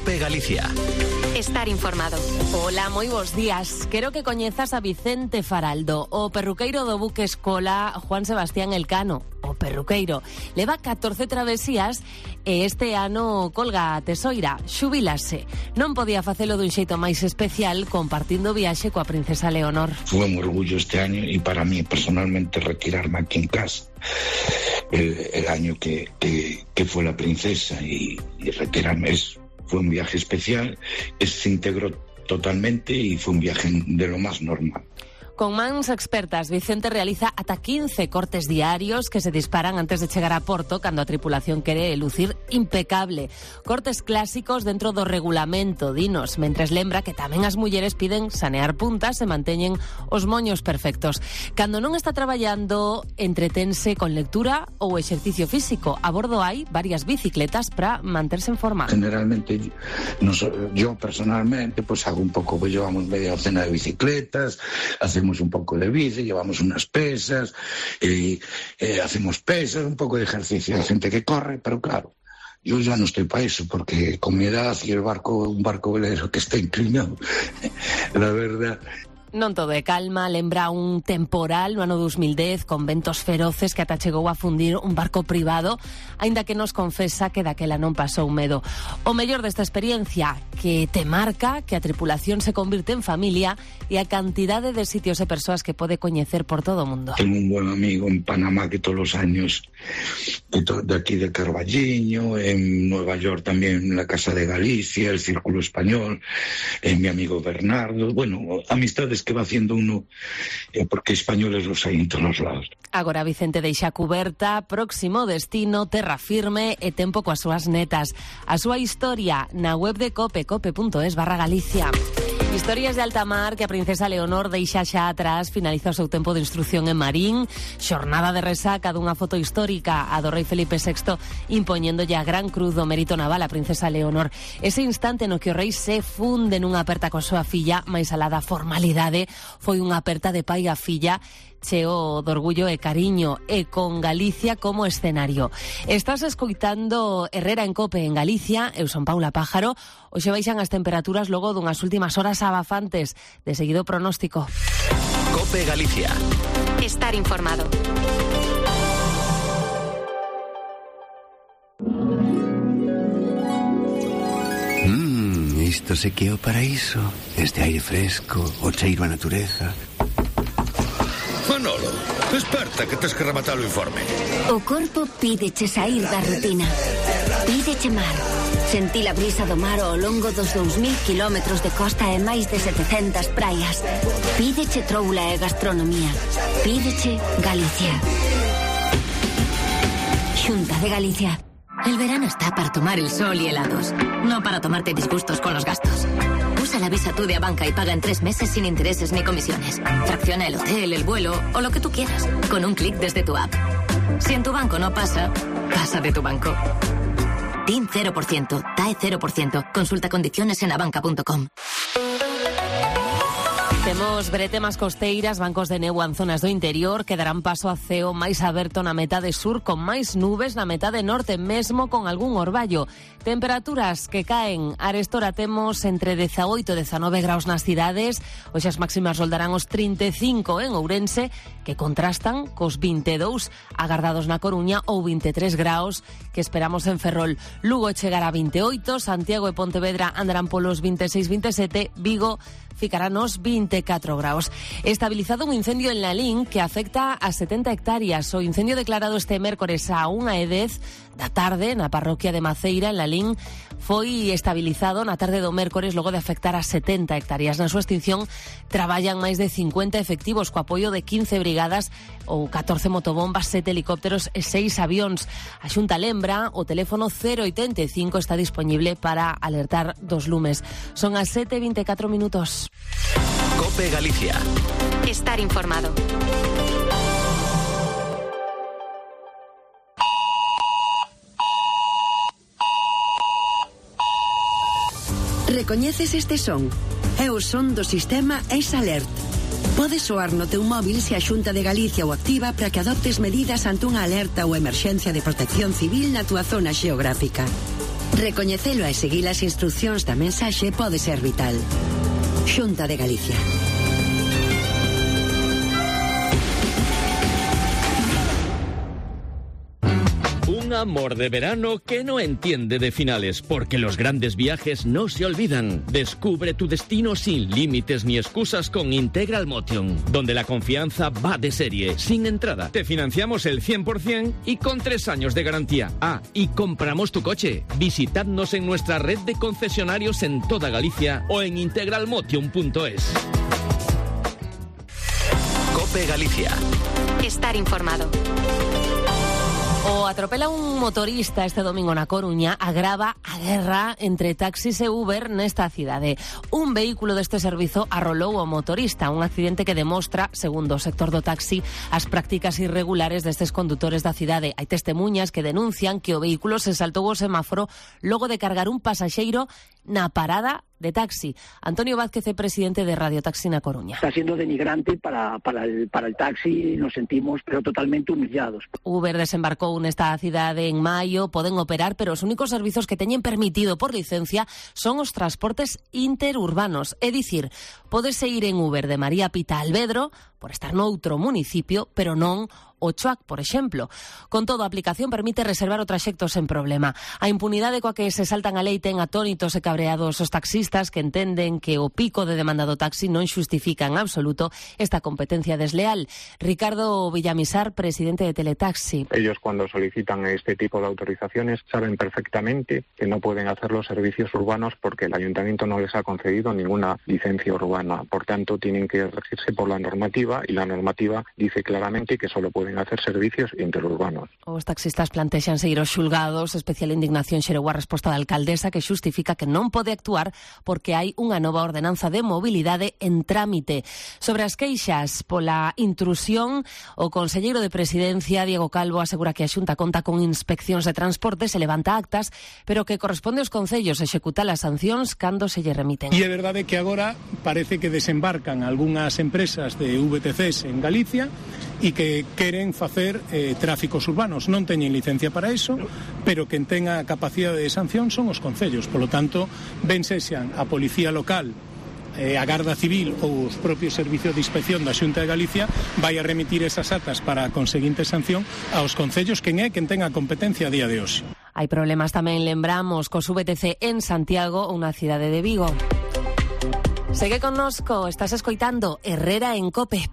COPE Galicia. Estar informado. Hola, moi bons días. Quero que coñezas a Vicente Faraldo, o perruqueiro do buque escola Juan Sebastián Elcano. O perruqueiro leva 14 travesías e este ano colga a tesoira, xubilase. Non podía facelo dun xeito máis especial compartindo viaxe coa princesa Leonor. Fue un orgullo este año y para mí personalmente retirarme aquí en casa el año que fue la princesa y retirarme eso. Fue un viaje especial, se integró totalmente y fue un viaje de lo más normal. Con mans expertas, Vicente realiza ata 15 cortes diarios que se disparan antes de chegar a Porto cando a tripulación quere lucir impecable. Cortes clásicos dentro do regulamento, dinos, mentres lembra que tamén as mulleres piden sanear puntas e manteñen os moños perfectos. Cando non está traballando, entretense con lectura ou exercicio físico. A bordo hai varias bicicletas para manterse en forma. Generalmente, yo personalmente, pues hago un poco, pues llevamos media docena de bicicletas, hacemos un poco de bici, llevamos unas pesas, hacemos pesas, un poco de ejercicio. Hay gente que corre, pero claro, yo ya no estoy para eso, porque con mi edad y un barco velero que está inclinado, la verdad. Non todo é calma, lembra un temporal no ano 2010 con ventos feroces que ata chegou a fundir un barco privado, aínda que nos confesa que daquela non pasou medo. O mellor desta experiencia, que te marca que a tripulación se convirte en familia e a cantidade de sitios e persoas que pode coñecer por todo o mundo. Tengo un buen amigo en Panamá que todos los años, de aquí de Carballiño, en Nueva York también, en la Casa de Galicia, el Círculo Español, mi amigo Bernardo, bueno, amistades que va haciendo uno, porque españoles los hay en todos los lados. Agora Vicente deixa cuberta, próximo destino, terra firme e tempo coas súas netas. A súa historia na web de COPE, cope.es/Galicia. Historias de alta mar que a princesa Leonor deixa xa atrás, finaliza o seu tempo de instrucción en Marín, xornada de resaca dunha foto histórica a do rei Felipe VI impoñéndolle a gran cruz do mérito naval a princesa Leonor. Ese instante no que o rei se funde nunha aperta coa súa filla, máis alá da formalidade, foi unha aperta de pai a filla, cheo de orgullo e cariño e con Galicia como escenario. Estás escoitando Herrera en COPE en Galicia, eu son Paula Pájaro. Hoxe baixan as temperaturas logo dunhas últimas horas abafantes. De seguido pronóstico. COPE Galicia. Estar informado. Isto se que é o paraíso. Este aire fresco, o cheiro a natureza. Manolo, desperta que tes que rematar o informe. O corpo pídeche sair da rutina. Pídeche mar. Sentir a brisa do mar ao longo dos 2000 kilómetros de costa e máis de 700 praias. Pídeche troula e gastronomía. Pídeche Galicia. Xunta de Galicia. El verano está para tomar el sol y helados, no para tomarte disgustos con los gastos. Usa la Visa Tú de Abanca y paga en 3 meses sin intereses ni comisiones. Fracciona el hotel, el vuelo o lo que tú quieras, con un clic desde tu app. Si en tu banco no pasa, pasa de tu banco. TIN 0%, TAE 0%. Consulta condiciones en abanca.com. Temos bretemas costeiras, bancos de neu en zonas do interior que darán paso a ceo máis aberto na metade sur con máis nubes na metade norte, mesmo con algún orballo. Temperaturas que caen. Arestora temos entre 18 e 19 graus nas cidades. Hoxe as máximas roldarán os 35 en Ourense, que contrastan cos 22 agardados na Coruña ou 23 graus que esperamos en Ferrol. Lugo chegará a 28, Santiago e Pontevedra andarán polos 26-27, Vigo ficará nos 24 graus. Estabilizado un incendio en Lalín que afecta a 70 hectáreas. O incendio declarado este mércores a 1:10 da tarde na parroquia de Maceira, en Lalín, foi estabilizado na tarde do mércores logo de afectar a 70 hectáreas. Na súa extinción traballan máis de 50 efectivos co apoio de 15 brigadas ou 14 motobombas, 7 helicópteros e 6 avións. A Xunta lembra, o teléfono 085 está disponible para alertar dos lumes. Son as 7:24 minutos. COPE Galicia. Estar informado. Recoñeces este son? É o son do sistema S-Alert. Pode soar no teu móvil se a Xunta de Galicia o activa para que adoptes medidas ante unha alerta ou emerxencia de protección civil na túa zona xeográfica. Recoñecelo e seguir as instruccións da mensaxe pode ser vital. Xunta de Galicia. Un amor de verano que no entiende de finales, porque los grandes viajes no se olvidan. Descubre tu destino sin límites ni excusas con Integral Motion, donde la confianza va de serie, sin entrada. Te financiamos el 100% y con 3 años de garantía. Y compramos tu coche. Visitadnos en nuestra red de concesionarios en toda Galicia o en integralmotion.es. COPE Galicia. Estar informado. O atropela un motorista este domingo na Coruña, agrava a guerra entre taxis e Uber nesta cidade. Un vehículo deste servizo arrolou o motorista, un accidente que demostra, segundo o sector do taxi, as prácticas irregulares destes condutores da cidade. Hai testemuñas que denuncian que o vehículo se saltou o semáforo logo de cargar un pasaxeiro na parada de taxi. Antonio Vázquez é presidente de Radio Taxi na Coruña. Está siendo denigrante para el taxi, nos sentimos pero totalmente humillados. Uber desembarcou nesta cidade en maio, poden operar, pero os únicos servizos que teñen permitido por licencia son os transportes interurbanos. É dicir, pódese ir en Uber de María Pita a Alvedro por estar noutro municipio, pero non o Choac, por exemplo. Con todo, a aplicación permite reservar o traxecto sen problema. A impunidade coa que se saltan a lei ten atónitos e cabreados os taxistas que entenden que o pico de demanda do taxi non xustifica en absoluto esta competencia desleal. Ricardo Villamisar, presidente de Teletaxi. Ellos, cuando solicitan este tipo de autorizaciones, saben perfectamente que no pueden hacer los servicios urbanos porque el ayuntamiento no les ha concedido ninguna licencia urbana. Por tanto, tienen que regirse por la normativa, y la normativa dice claramente que solo pueden hacer servicios interurbanos. Os taxistas plantexan seguir os xulgados. Especial indignación xerou a resposta da alcaldesa, que xustifica que non pode actuar porque hai unha nova ordenanza de mobilidade en trámite. Sobre as queixas pola intrusión, o conselleiro de Presidencia, Diego Calvo, asegura que a Xunta conta con inspeccións de transporte, se levanta actas, pero que corresponde aos concellos executar as sancións cando se lle remiten. E é verdade que agora parece que desembarcan algunhas empresas de VTCs en Galicia e que queren facer tráficos urbanos. Non teñen licencia para iso, pero quen tenga capacidade de sanción son os concellos. Polo tanto, ben sexan a Policía Local, a Garda Civil ou os propios servicios de inspección da Xunta de Galicia, vai a remitir esas atas para a conseguinte sanción aos concellos, quen é quen tenga a competencia a día de hoxe. Hai problemas tamén, lembramos, cos VTC en Santiago ou na cidade de Vigo. Segue connosco, estás escoitando Herrera en COPE.